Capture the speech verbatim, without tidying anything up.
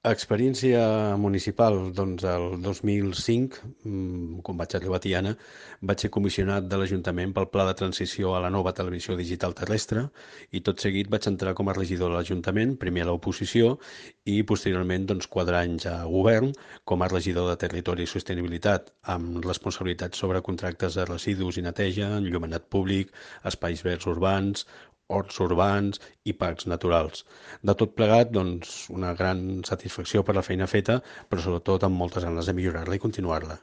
Experiència municipal, doncs el dos mil cinc, mm, quan vaig arribar a Tiana, vaig ser comissionat de l'Ajuntament pel Pla de Transició a la nova televisió digital terrestre i tot seguit vaig entrar com a regidor de l'Ajuntament, primer a l'oposició i posteriorment doncs, quatre anys a govern com a regidor de Territori i Sostenibilitat, amb responsabilitats sobre contractes de residus i neteja, enllumenat públic, espais verds urbans, horts urbans i parcs naturals. De tot plegat, doncs, una gran satisfacció per la feina feta, però sobretot amb moltes ganes de millorar-la i continuar-la.